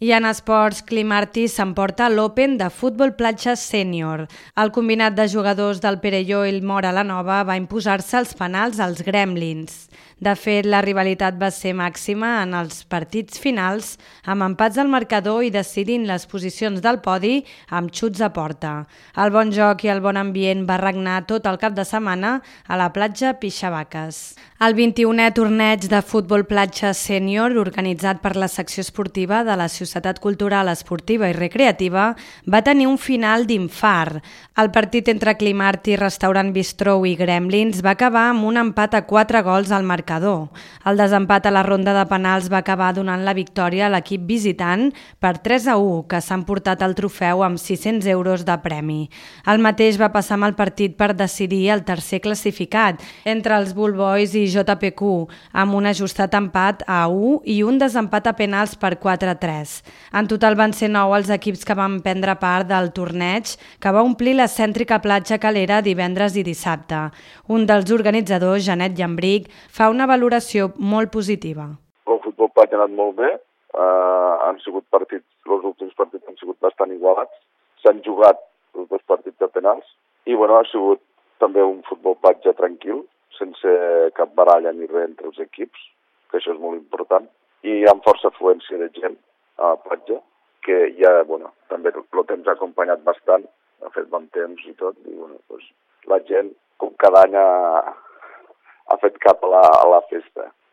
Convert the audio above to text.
I en esports, Climarty s'emporta l'Open de futbol platja sènior. El combinat de jugadors del Perelló i el Móra la Nova va imposar-se als penals als Gremlins. De fet, la rivalitat va ser màxima en els partits finals, amb empats al marcador i decidint les posicions del podi amb xuts a porta. El bon joc i el bon ambient va regnar tot el cap de setmana a la platja Pixavaques. El 21è torneig de futbol platja sènior, organitzat per la secció esportiva de la Societat Cultural Esportiva i Recreativa, va tenir un final d'infart. El partit entre Climarty, Restaurant Bistrou i Gremlins va acabar amb un empat a 4 gols al marcador. El desempat a la ronda de penals va acabar donant la victòria a l'equip visitant per 3-1, que s'han portat el trofeu amb 600 euros de premi. El mateix va passar amb el partit per decidir el tercer classificat, entre els Bull Boys i JPQ, amb un ajustat empat a 1 i un desempat a penals per 4-3. En total van ser 9 els equips que van prendre part del torneig, que va omplir la cèntrica platja Calera divendres i dissabte. Un dels organitzadors, Janet Llambric, fa una valoració molt positiva. El futbol platja ha anat molt bé, han sigut partits, els últims partits han sigut bastant igualats, s'han jugat els dos partits de penals i ha sigut també un futbol platja tranquil, sense cap baralla ni res entre els equips, que això és molt important, i amb força afluència de gent a la platja, que ja, també el temps ha acompanyat bastant, ha fet bon temps i tot, i la gent, com cada any, ha fet cap a la festa.